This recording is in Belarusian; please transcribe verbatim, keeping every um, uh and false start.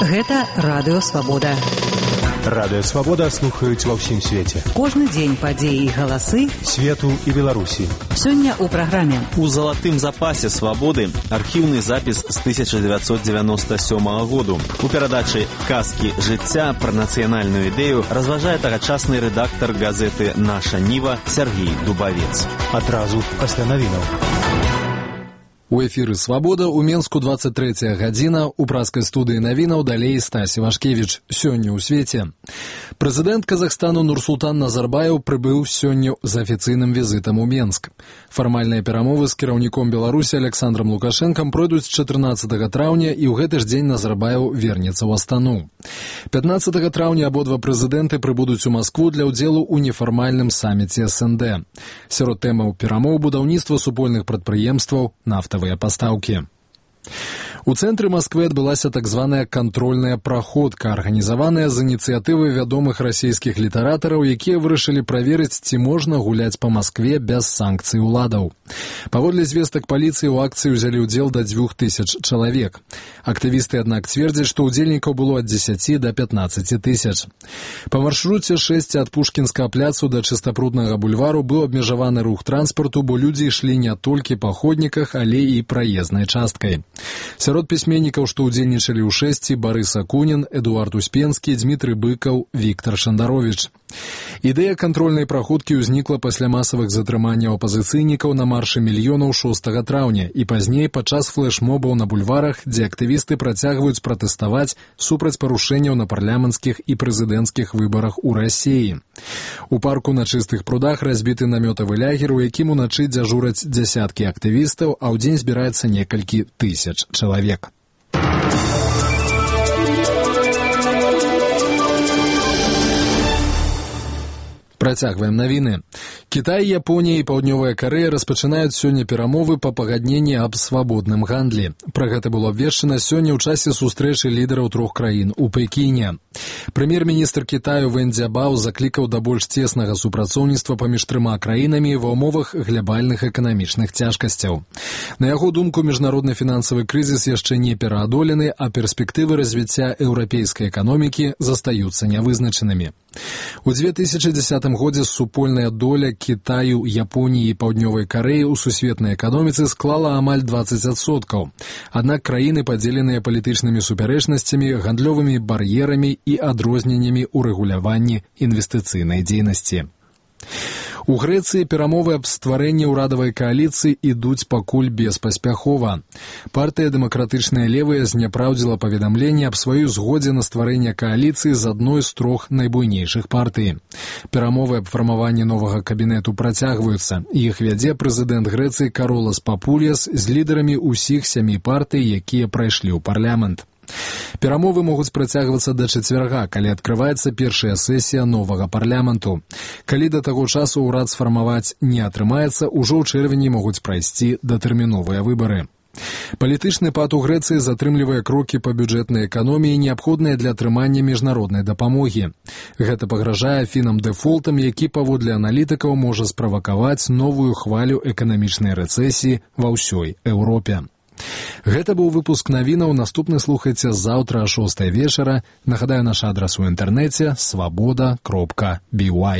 Гэта радыё «Свабода». Радыё «Свабода» слухаюць ва ўсім свеце. Кожны дзень падзеі і галасы свету і Беларусі. Сёння ў праграме. У залатым запасе «Свабоды» архіўны запіс з тысяча дзевяцьсот дзевяноста сёмага году. У перадачы «Казкі жыцця» пра нацыянальную ідэю разважае тагачасны рэдактар газеты «Наша Ніва» Сергей Дубавец. Адразу пасля навінаў. У эфіры «Свабода» у Менску двадцать третья гадзіна, у праскай студыі навінаў далей Стась Івашкевіч. Сёння ў свеце. Прэзідэнт Казахстану Нурсултан Назарбаев прыбыў сёння з афіцыйным візітам у Менск. Фармальныя перамовы з кіраўніком Беларусі Александром Лукашэнкам пройдуць чатырнаццатага траўня, і ў гэты ж дзень Назарбаев вернецца ў Астану. пятнаццатага траўня абодва прэзідэнты прыбудуць у Маскву для ўдзелу ў нефармальным саміце эс эн дэ. Сярод тэмаў перамоў будаўніцтва супольных прадпрыемстваў, нафтавыя пастаўкі. У цэнтры Масквы адбылася так званая кантрольная праходка, арганізаваная з ініцыятывы вядомых расійскіх літаратараў, якія вырашылі праверыць, ці можна гуляць па Маскве без санкцый уладаў. Паводле звестак паліцыі ў акцыі ўзялі ўдзел да дзвюх тысяч чалавек. Актывісты, аднак, цвердзяць, што ўдзельнікаў было ад дзесяці да пятнаццаці тысяч. Па маршруце шэсць ад Пушкінскага пляцу да Чыстапруднага бульвару быў абмежаваны рух транспарту, бо людзі ішлі не толькі па ходніках, але і праезнай часткай. Сярод пісьменнікаў, што ўдзельнічалі ў шэсці, Барыс Акунін, Эдуард Успенскі, Дмітрый Быкаў, Віктар Шандаровіч. Ідэя кантрольнай праходкі ўзнікла пасля масавых затрыманняў апазіцыйнікаў на маршы мільёнаў шостага траўня і пазней падчас флэш-мобаў на бульварах, дзе актывісты працягваюць пратэставаць супраць парушэнняў на парламенцкіх і прэзідэнцкіх выбарах у Расіі. У парку на Чыстых прудах разбіты намётавы лягер, у якім уначы дзяжураць дзясяткі актывістаў, а ў дзень збіраецца некалькі тысяч чалавек. Працягваем навіны. Кітай, Японія і Паўднёвая Карэя распачынаюць сёння перамовы па пагадненні аб свабодным гандлі. Пра гэта было абвешчана сёння ў часе сустрэчы лідараў трох краін у Пекіне. Прэм'ер-міністр Кітаю Вэн Цзябао заклікаў да больш цеснага супрацоўніцтва паміж трыма краінамі ва ўмовах глабальных эканамічных цяжкасцяў. На яго думку, міжнародны фінансавы крызіс яшчэ не пераадолены, а перспектывы развіцця еўрапейскай эканомікі застаюцца нявызначанымі. У дзве тысячы дзесятым годзе супольная доля Кітаю, Японіі і Паўднёвай Карэі ў сусветнай эканоміцы склала амаль дваццаць адсоткаў. Аднак краіны падзеленыя палітычнымі супярэчнасцямі, гандлёвымі бар'ерамі і адрозненнямі ў рэгуляванні інвестыцыйнай дзейнасці. У Грэцыі перамовы аб стварэнні ўрадавай кааліцыі ідуць пакуль беспаспяхова. Партыя «Дэмакратычныя левыя» зняпраўдзіла паведамленне аб сваёй згодзе на стварэнне кааліцыі з адной з трох найбуйнейшых партый. Перамовы аб фармаванні новага кабінету працягваюцца. Іх вядзе прэзідэнт Грэцыі Каролас Папульяс з лідарамі ўсіх сямі партый, якія прайшлі ў парламент. Перамовы могуць працягвацца да чацвярга, калі адкрываецца першая сесія новага парламенту. Калі да таго часу ўрад сфармаваць не атрымаецца, ужо ў чэрвені могуць прайсці датэрміновыя выбары. Палітычны пад у Грэцыі затрымлівае крокі па бюджэтнай эканоміі, неабходныя для атрымання міжнароднай дапамогі. Гэта пагражае фінам дэфолтам, які, паводле аналітыкаў, можа справакаваць новую хвалю эканамічнай рэцэсіі ва ўсёй Еўропе. Гэта быў выпуск навінаў, наступны слухайце заўтра а шостай вечара. Нагадаю, наш адрас у інтэрнэце свабода кропка би уай.